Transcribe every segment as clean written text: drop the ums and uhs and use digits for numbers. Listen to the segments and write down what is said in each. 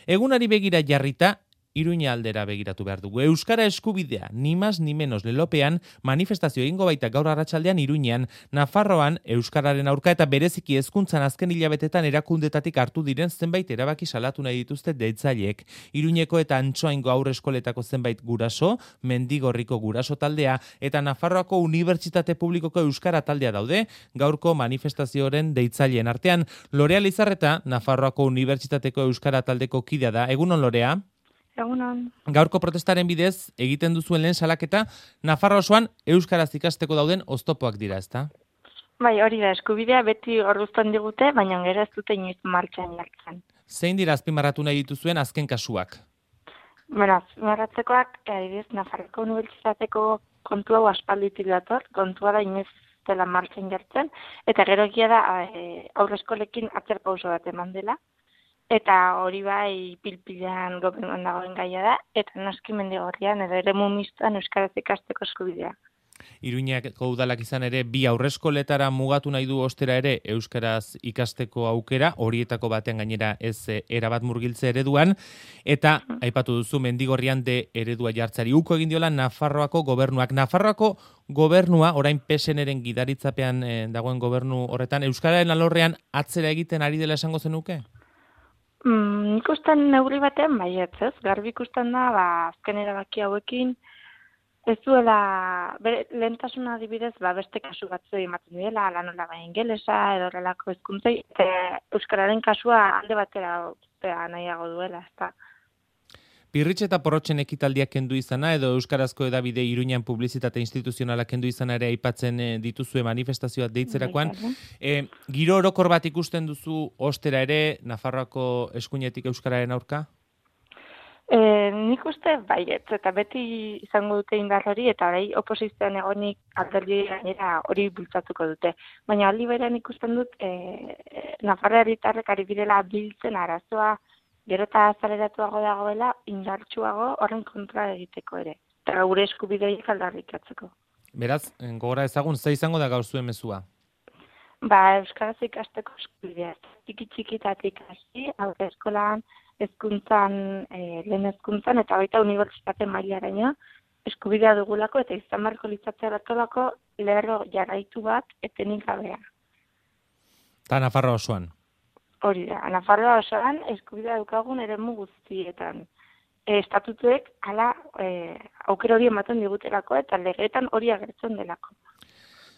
Egunari begira jarrita, Iruña aldera begiratu behar dugu. Euskara eskubidea, ni más ni menos lelopean, manifestazio egingo baita gaur arratsaldean Iruñean, Nafarroan, Euskararen aurka eta bereziki hezkuntzan azken hilabetetan erakundetatik hartu diren zenbait erabaki salatu nahi dituzte deitzaileek. Iruñeko eta Antsoaingo haurreskoletako zenbait guraso, Mendigorriko guraso taldea eta Nafarroako Unibertsitate Publikoko Euskara taldea daude, gaurko manifestazioaren deitzaileen artean. Lorea Lizarreta, Nafarroako Unibertsitateko Euskara taldeko kidea da. Egunon, Lorea? Egunon. Gaurko protestaren bidez egiten duzuen lehen salaketa, Nafarroa osoan euskaraz ikasteko dauden oztopoak dira, ezta? Bai, hori da, eskubidea beti orduzten digute, baina gero ez dute inoiz martxan jartzen. Zein dira azpimarratu nahi dituzuen azken kasuak? Bueno, azpimarratzekoak, adibidez, Nafarroako Unibertsitateko kontu hau aspalditik dator, kontua da inoiz dela martxan jartzen, eta gero egia da aurreskolekin atzerpauso bat eman dela, eta hori bai pilpilean gobernuan dagoen gaia da, eta noski Mendigorrian edo eremu mistoan euskaraz ikasteko eskubidea. Iruñako udalak izan ere, bi aurreskoletara mugatu nahi du ostera ere euskaraz ikasteko aukera, horietako batean gainera ez erabat murgiltze ereduan, eta aipatu duzu Mendigorrian de eredua jartzari uko egin diola Nafarroako gobernuak. Nafarroako gobernua, orain PSN-eren gidaritzapean dagoen gobernu horretan, euskararen alorrean atzera egiten ari dela esango zenuke? Nik usten neurri batean baietz, ez? Garbi ikusten da, azken erabaki hauekin, ez duela, lehentasuna adibidez, beste kasu batzu ematen dela, lanola bai ingelesa, edo horrelako hizkuntzei, euskararen kasua alde batera nahiago duela, ezta. Pirritx eta Porrotxen ekitaldiak kendu izana edo euskarazko edabide Iruñan publizitate instituzionala kendu izana ere aipatzen dituzue manifestazioa deitzerakoan. Giro orokor bat ikusten duzu ostera ere Nafarroako eskuinetik euskararen aurka? Nik uste baietz, eta beti izango dute indar hori, eta hori oposizioan egonik alderdi gainera hori bultzatuko dute. Baina aldi berean ikusten dut, Nafarroa herritarrek ari direla biltzen arazoa, gero eta azaleratuago dagoela, indartsuago horren kontra egiteko ere. Eta gure eskubideik aldarrikatzeko. Beraz, gogora ezagun, ze izango da gaur zuen mezua? Euskaraz ikasteko eskubidea. Txiki-txikitatik hasi, aurre eskolan, hezkuntzan, lehen hezkuntzan, eta baita unibertsitate mailaraino eskubidea dugulako, eta izan beharko litzatzea batolako lerro jarraitu bat etenik gabea. Eta Nafarroa osoan? Hori da, Nafarroa osoan eskubidea dukagun eremu guztietan. Estatutuek hala aukera hori ematen digutelako eta legeetan hori agertzen delako.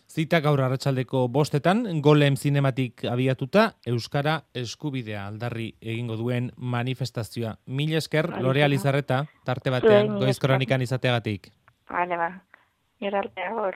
Zita gaur arratsaldeko 5:00, Golem zinematik abiatuta, Euskara eskubidea aldarri egingo duen manifestazioa. Mila esker, Lorea Lizarreta, tarte batean, Goiz Kronikan izateagatik. Bale, gerartea hor.